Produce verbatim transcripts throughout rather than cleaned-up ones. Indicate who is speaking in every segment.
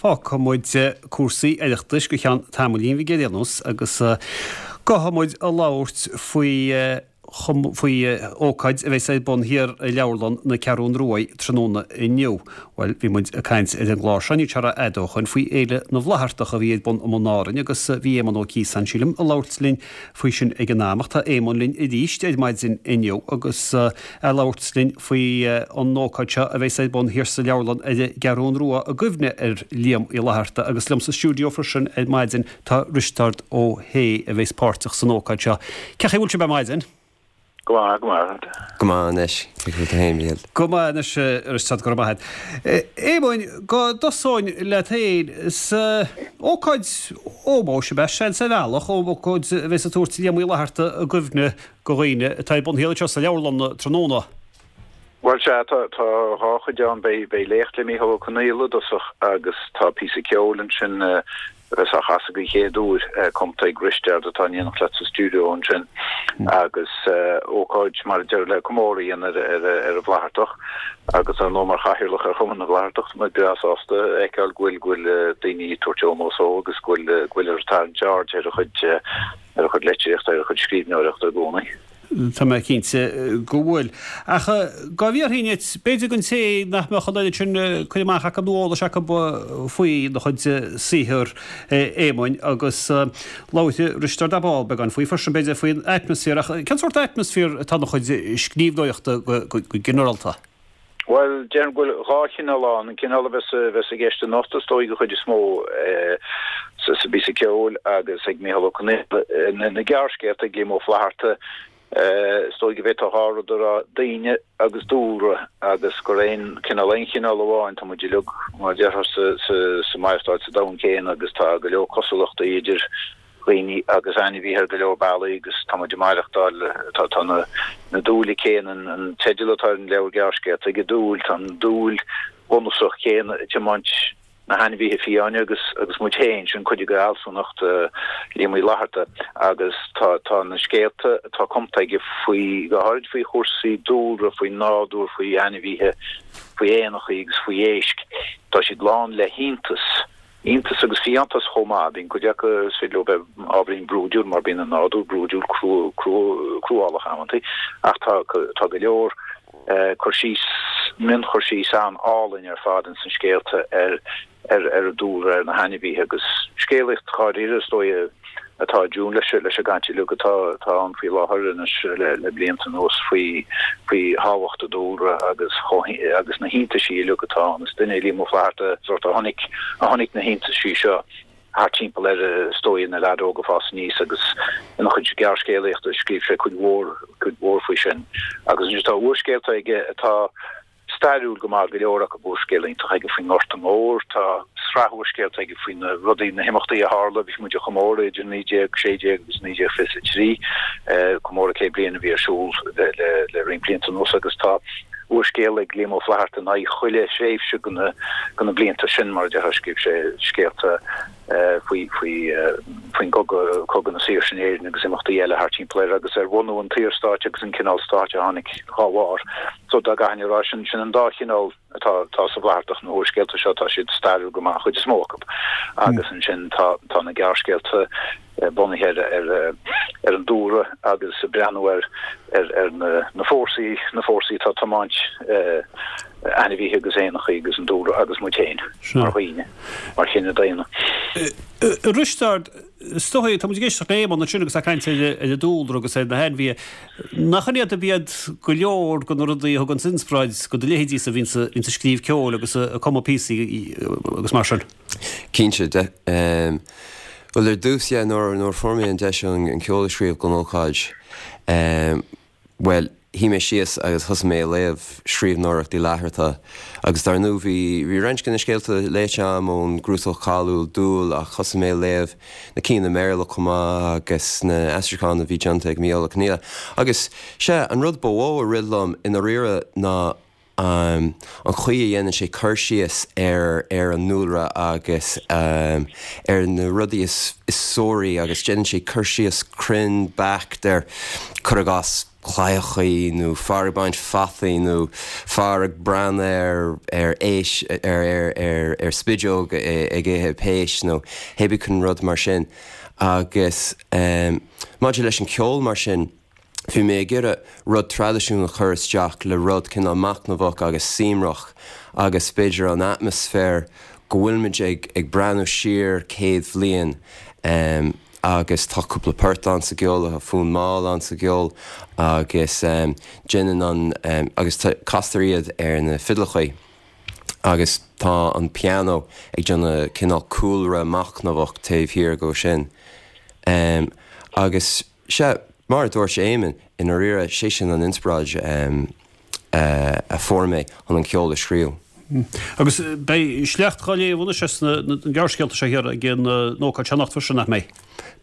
Speaker 1: Fágfaidh muid cúrsaí Oireachtais go ceann tamaillín bhig ar aon nós agus gabhfaidh muid a labhairt faoi faoi ócáid a bheas ar bun thiar i Leabharlann na Ceathrún Rua tráthnóna inniu. Bhuel, bhí muid ag caint ar an gclár seo níl sé rófhada ó shoin faoi Fhéile na bhFlaitheartach a bhí ar bun i mBun Árainn agus bhí Éamonn Ó Ciosáin, sílim, ag labhairt linn faoi sin ag an am ach tá Éamonn linn arís ar maidin inniu agus ag labhairt linn faoi an ócáid seo a bheas ar bun thiar sa leabharlann ar an gCeathrún Rua i gcuimhne ar Liam Uí Fhlatharta agus liom sa stiúideo freisin ar maidin tá Risteard Ó hAodha a bheas páirteach san ócáid seo. Cén chaoi a bhfuil sibh ar maidin?
Speaker 2: Go maith, go maith.
Speaker 3: Go maith anois, cé go féin Mícheál.
Speaker 1: Go maith anois Risteard go raibh maith agat. Éamoinn, go dtosóinn leat féin is ócáid ómóis ab ea seans ar bhealach, ócáid a bheas ag tabhairt Liam Uí Fhlatharta i gcuimhne do dhaoine atá ar bun thiar anseo sa leabharlann tráthnóna.
Speaker 2: Bhuel sea, tá tá dhá chuid ann, beidh beidh léacht le Mícheál Ó Conghaile i dtosach agus tá píosa ceoil ansin a bheas á chasadh den chéad uair, cumtha ag Risteard atá in éineacht leat sa stiúideo ansin agus ócáid mar a deir le comóradh a dhéanamh ar ar an bhFlaitheartach agus ar ndóigh mar chathaoirleach ar Chumann na bhFlaitheartach tá muid breá sásta a fheiceáil go bhfuil go bhfuil daoine ag tabhairt ómós dó agus go bhfuil go bhfuil ag tarraingt aird ar a chuid ar a chuid litríochta ar a chuid scríbhneoireachta i gcónaí.
Speaker 1: Tá mé cinnte go bhfuil. Ach dhá bhfiafróinn díot, b'fhéidir don té nach mbeadh an oiread sin cur amach acu nó eolais acu faoina chuid saothar Éamoinn agus labhair Risteard ar ball beagán faoi freisin b'fhéidir faoin atmaisféar ach cén sórt atmaisféar atá ina chuid scríbhneoireachta go ginearálta?
Speaker 2: Bhuel, déarfainn go bhfuil dhá chineál ann, an cineál a bheas a bheas i gceist anocht is dóigh den chuid is mó sa sa bpíosa ceoil agus ag Mícheál Ó Conghaile, na gearrscéalta ag Liam Ó Flaithearta, is dóigh go bhféadfá dhá rud a rá, daoine agus dúlra agus gur aon cineál aon chineál amháin, tá muid uilig mar a déarfá sa sa sa maireachtáil sa domhan céanna agus tá go leor cosúlachtaí idir dhaoine agus ainmhithe ar go leor bealaí agus tá muid ag maireachtáil, tá tá na na dúile céanna, an teideal atá ar an leabhar gearrscéalta aige Dúil, tá an dúil bhunúsach chéanna ag tiomáint na hainmhithe fiáine agus agus muid féin, sin cuid de fhealsúnacht Liam Uí Fhlatharta agus tá tá na scéalta atá cumtha aige faoi, go háirid faoi chúrsaí dúlra, faoin nádúr, faoi ainmhithe, faoi éanachaí agus faoi éisc, tá siad lán le hiontas. Iontas agus fiántas chomh maith. Bíonn cuid acu, is féidir leo bheith ábhairín brúidiúil mar bíonn an nádúr brúidiúil, cruálach amantaí, ach tá tá go leor cur síos, mionchur síos an-álainn ar fad ins na scéalta ar ar ar an dúlra, ar na hainmhithe agus scéalaíocht dháiríre is dóigh atá i dtiúin leis leis an gcaint uilig atá atá ann faoi láthair anois le le blianta anuas faoi faoi thábhacht an dúlra agus chomh agus na hiontaisí uilig atá ann. Is duine é Liam Ó Flaithearta sórt a chonaic a chonaic na hiontaisí seo thart timpeall air is dóigh ina leaid óg ag fás aníos agus ina chuid gearrscéalaíochta scríobh sé cuid mhór cuid mhór faoi sin. Agus anois tá úrscéalta aige atá stairiúil go maith, go leor acu. Úrscéal iontach aige faoin nGorta Mór. Tá sraith úrscéalta aige faoi na rudaí, na himeachtaí a tharla, bhí muid ag comóradh idir naoi déag sé déag agus naoi déag fiche a trí, comóradh céad bliain a bhí ar siúl le roinnt blianta anuas agus tá úrscéal ag Liam Ó Flaithearta in aghaidh chuile thréimhse de na blianta sin, mar a déarfá. Scríobh sé scéalta faoi faoin gcogadh, Cogadh na Saoirse in Éirinn agus imeachtaí eile thart timpeall air agus ar bhunú an tSaorstáit agus an cineál stáit a tháinig dhá bharr. So dá gcaithfinn a rá, sin sin an dá chineál atá atá sa bhFlaitheartach, na húrscéalta seo, tá siad stairiúil go maith, an chuid is mó acu. Agus ansin tá tá na gearrscéalta bunaithe ar ar ar an dúlra agus ag breathnú ar ar ar na na fórsaí, na fórsaí atá ag tiomáint ainmhithe agus éanachaí agus an dúlra agus muid féin mar dhaoine, mar chine daonna.
Speaker 1: A Risteaird, is dóigh, tá muid ag éisteacht le Éamonn ansin agus é ag caint ar an dúlra agus ar na hainmhithe. Nach in iad ab iad go leor de na rudaí a thugann inspioráid do do leithéidísa a bhíonns ag scríobh ceoil agus ag cumadh píosaí agus mar sin?
Speaker 3: Cinnte. Bhuel, ar dtús, yeah, nuair a fuair mé an deis an ceol a scríobh don ócáid, Bhuel, shuigh mé síos agus thosaigh mé ag léamh scríbhneoireacht Uí Fhlatharta agus dar ndóigh bhí bhí roinnt de na scéalta léite agam ón gcnuasach cáiliúil Dúil ach thosaigh mé ag léamh na cinn i mBéarla chomh maith agus na aistriúcháin a bhí déanta ag Mícheál Ó Conghaile. Agus, sea, an rud ba mhó a rith liom i ndáiríre ná an chaoi a dhéanann sé cur síos ar ar an ndúlra agus ar na rudaí is is suaraí agus déanann sé cur síos cruinn beacht ar, cuir i gcás, claíochaí nó fear ag baint fataí nó fear ag breathnú ar ar éisc ar ar ar ar spideog ag ithe péist nó hébí cén rud mar sin agus um, maidir leis an ceol mar sin bhí mé ag iarraidh rud traidisiúnta a chur isteach le rud cineál machnamhach agus suaimhneach agus b'fhéidir an atmaisféar go bhfuilmuid ag ag breathnú siar céad bhliain um, agus tá cúpla port ann sa gceol tá fonn mall ann sa gceol agus um, déanann an um, agus castar iad ar na fidleachaí. Agus tá an piano ag déanamh cineál cúlra machnamhach taobh thiar go sin. Um, agus sé mar a dúirt Éamonn i ndáiríre sé sin an inspioráid um, uh, a fuair mé chun an ceol a scríobh.
Speaker 1: Agus beidh sleacht á léamh anois na gearrscéalta seo thiar ag an ócáid seo anocht freisin nach mbeidh.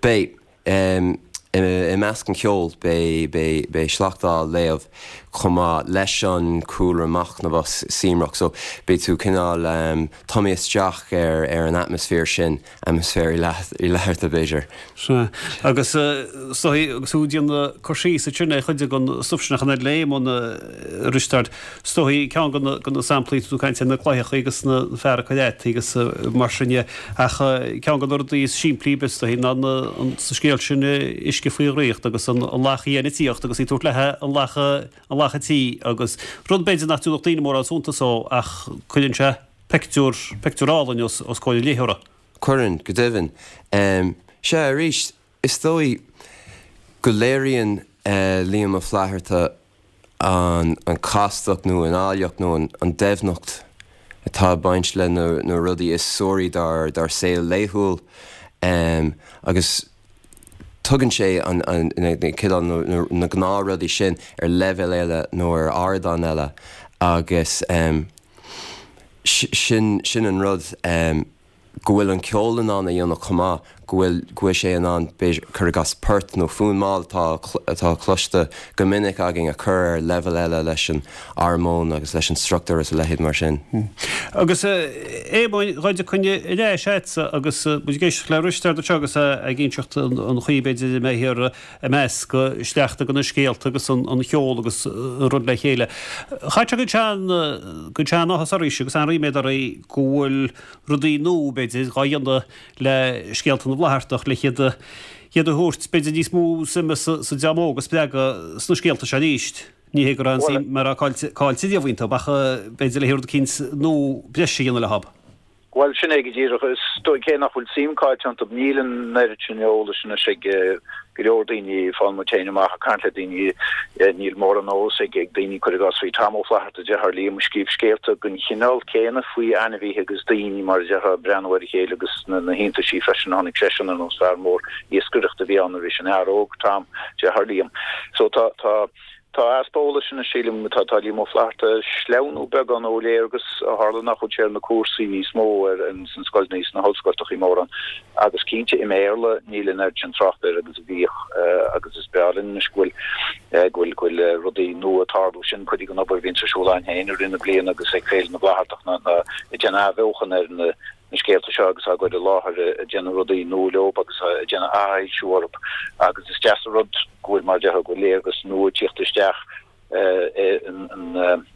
Speaker 3: Beidh um, i measc an ceol beidh sleacht á léamh chomh maith leis an cúlra machnamhach suaimhneach, so beidh tú cineál um, tumtha isteach ar ar an atmaisféar sin atmaisféar i leatharta b'fhéidir.
Speaker 1: Agus so agus tú ag déanamh cur síos ansin ar chuid den stuif sin a léigh Éamonn a Risteaird is dóigh ceann de na samplaí tú caint na claíochaí agus na fear ag cur fataí agus mar sin de ach ceann de na rudaí is simplí is dóigh ná an sa scéal sin uisce faoi dhraíocht agus an lach fhiáin ag tíocht agus í ag tabhairt léi an lach an lach tí agus rud b'fhéidir nach dtabharfadh daoine mórán suntas dó ach cuireann sé pictiúr pictiúr álainn os os comhair an léitheora.
Speaker 3: Cuireann, go deimhin. Um, sea arís, is dóigh go léiríonn uh, Liam Ó Flaithearta an, an castacht nó an áilleacht nó an, an doimhneacht atá ag baint le na, na rudaí is suaraí dár, dár saol laethúil um, agus tugann sé an, an, na, na, na, na gnáthrudaí sin ar leibhéal eile nó ar ardán eile agus um, sin, sin an rud um, go bhfuil an ceol in ann a dhéanamh chomh maith, go bhfuil go bhfuil sé in ann cuir i gcás port nó fonn mall atá atá cloiste go minic againn a chur ar leibhéal eile leis an armóin agus leis an struchtúr is a leithéid mar sin.
Speaker 1: Agus Éamoinn, dá dtiocfainn ar ais agatsa agus muid ag éisteacht le Risteard anseo agus ag inseacht an chaoi b'fhéidir a mbeidh thiar ag meascadh sleachta de na scéalta agus an cheol agus an rud le chéile. Chaith sé go sean go sean áthas oraibhse agus an-ríméad oraibh go bhfuil rudaí nua b'fhéidir dhá dhéanamh le scéalta na bhFlaitheartach le hiad a iad a thabhairt b'fhéidir níos mó suime sa sa dream óg a spreagadh sna scéalta seo arís. Ní hé go raibh an suim mar a caillte caillte riamh iontu ach b'fhéidir le rud eicínt nua breise a dhéanamh leo.
Speaker 2: Bhuel, sin é go díreach. Is dóigh cé nach bhfuil suim caillte iontu, níl an oiread sin eolais anois ag go leor daoine, faigheann muid féin amach ag caint le daoine, níl mórán eolas ag daoine, cuir i gcás, faoi Tom Ó Flatharta, deartháir Liam, a scríobh scéalta den chineál céanna faoi ainmhithe agus daoine, mar a déarfá, ag breathnú ar a chéile agus na hiontaisí freisin a chonaic seisean ar nós fear mór iascaireachta a bhí ann nuair a bhí sé ina fhear óg, Tom, deartháir Liam. So tá, tá. Tá easpa eolais anois, sílim. Tá tá Liam Ó Flaithearta ag sleamhnú beagán ó léargas ó tharla nach bhfuil sé ar na cúrsaí níos mó ar sna scoileanna sna hollscoilteachaí mórán. Agus cinnte i mBéarla níl an oiread sin trácht air agus a bhíodh agus is breá linn anois go bhfuil go bhfuil go bhfuil rudaí nua ag tarlú. Sin cuid den obair a bhíonns ar siúl againn féin i rith na bliana agus ag Féile na bhFlaitheartach ná ná ag déanamh athbheochan ar na na scéalta seo agus á gcur i láthair, ag déanamh rudaí nua leo agus ag déanamh athfhoilsiú orthu agus is deas an rud go bhfuil, mar a déarfá, go bhfuil léargas nua ag tíocht isteach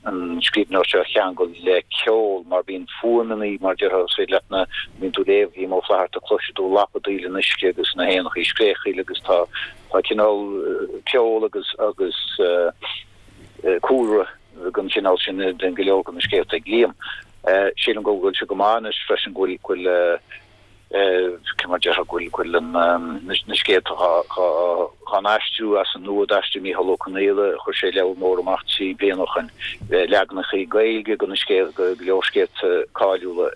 Speaker 2: an scríbhneoireacht seo a cheangal le ceol mar bíonn fuaimeanna, mar a déarfá, is féidir leat nuair a bhíonn tú ag léamh Liam Ó Flaithearta cloisfidh tú lapadaíl an uisce agus na héanachaí ag scréachaíl agus tá tá cineál ceol agus agus cúlra den chineál sin in go leor de na scéalta ag Liam. Sílim go bhfuil sé go maith anois freisin go bhfuil, go bhfuil, cé mar a déarfá, go bhfuil, go bhfuil na scéalta dhá n-aistriú as an nua, d'aistrigh Mícheál Ó Conghaile, chuir sé leabhar mór amach trí bliana ó shoin, leaganachaí Gaeilge de na scéalta, go leor scéalta cáiliúla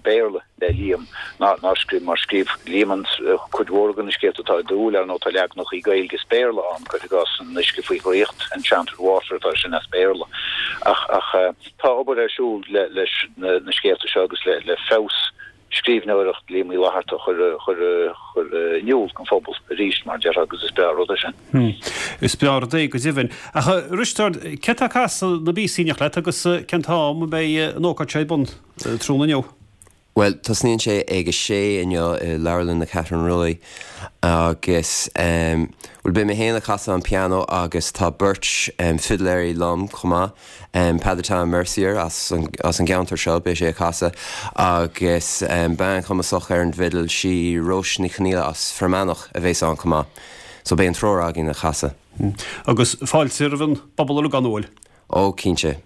Speaker 2: Béarla. le Liam ná nár scríobh mar scríobh Liam an cuid mhór de na scéalta atá i dTúil, ar ndóigh tá leaganachaí Gaeilge is Béarla ann, cuir i gcás An Uisce Faoi Dhraíocht, Enchanted Water atá sin as Béarla. Ach ach tá obair ar siúl le leis na na scéalta seo agus le le feabhas scríbhneoireacht Liam Uí Fhlaithearta a chur chur chur in iúl don phobal arís mar a déarfá agus is breá an rud é sin.
Speaker 1: Is breá an rud é go deimhin. Ach a Risteaird, cé atá ag casadh na bpíosaí in éineacht leat agus cén t-am a mbeidh an ócáid seo ar bun tráthnóna inniu?
Speaker 3: Well, tosnaíonn sé ag a sé inniu i Leabharlann na Ceathrún Rua agus um, well beidh mé féin ag casadh an piano agus tá beirt um, fidléirí liom chomh maith um, Peadar Tom Mercier as an, as an gceantar seo beidh sé ag casadh agus um, bean chumasach ar an bhfidil sí Róis Ní Chonaola as Fear Manach a bheas ann chomh maith. So beidh an triúr againn ag casadh.
Speaker 1: Agus fáilte roimh an bpobal uilig an bhfuil?
Speaker 3: Ó cinnte.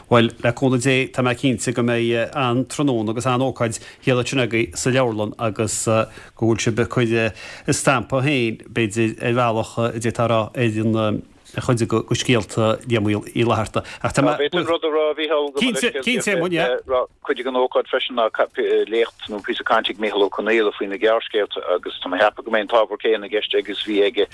Speaker 1: Well le cúnamh Dé tá mé cinnte go mbeidh an-tráthnóna agus an-ócáid thiar ansin agaibh sa leabharlann agus go bhfuil sibh ag cur a stampa féin b'fhéidir ar bhealach a d'fhéadfá a rá ar an chuid de scéalta Liam Uí Fhlatharta.
Speaker 2: Ach tá mé. B'fhéidir rud a rá a Mhícheál go
Speaker 1: Cinnte, cinnte, Éamonn, yeah.
Speaker 2: Cuid den ócáid freisin ná léacht nó píosa cainte ag Mícheál Ó Conghaile faoi na gearrscéalta agus tá mé ag ceapadh go mbeidh an t-ábhar céanna i gceist aige is bhí aige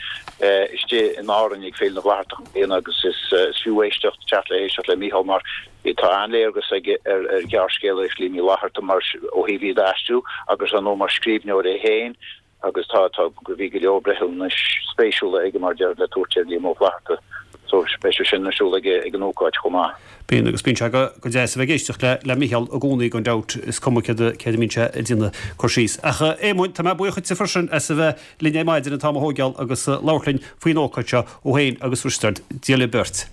Speaker 2: istigh in Árainn ag Féile na bhFlaitheartach i mbliana agus is fiú éisteacht, teacht le héisteacht le Mícheál mar tá an-léargas aige ar ghearrscéalaíocht Liam Uí Fhlatharta mar ó thaobh iad a aistriú agus ar ndóigh mar scríbhneoir é féin. agus tá, tá, bhí go leor breithiúnais spéisiúla aige mar deir le tabhairt ar Liam Ó Flaithearta so beidh sé sin ar siúl ag ag an ócáid chomh maith.
Speaker 1: Bíonn agus bíonn sé go go deas a bheith ag éisteacht le le Mícheál i gcónaí gan dabht is cuma céard a céard a mbíonn sé ag déanamh cur síos. Ach a Éamoinn, tá mé buíoch dhuitse freisin as a bheith linn ar maidin an t-am a thógáil agus labhairt linn faoin ócáid seo thú féin agus Risteard. Dia libh beirt.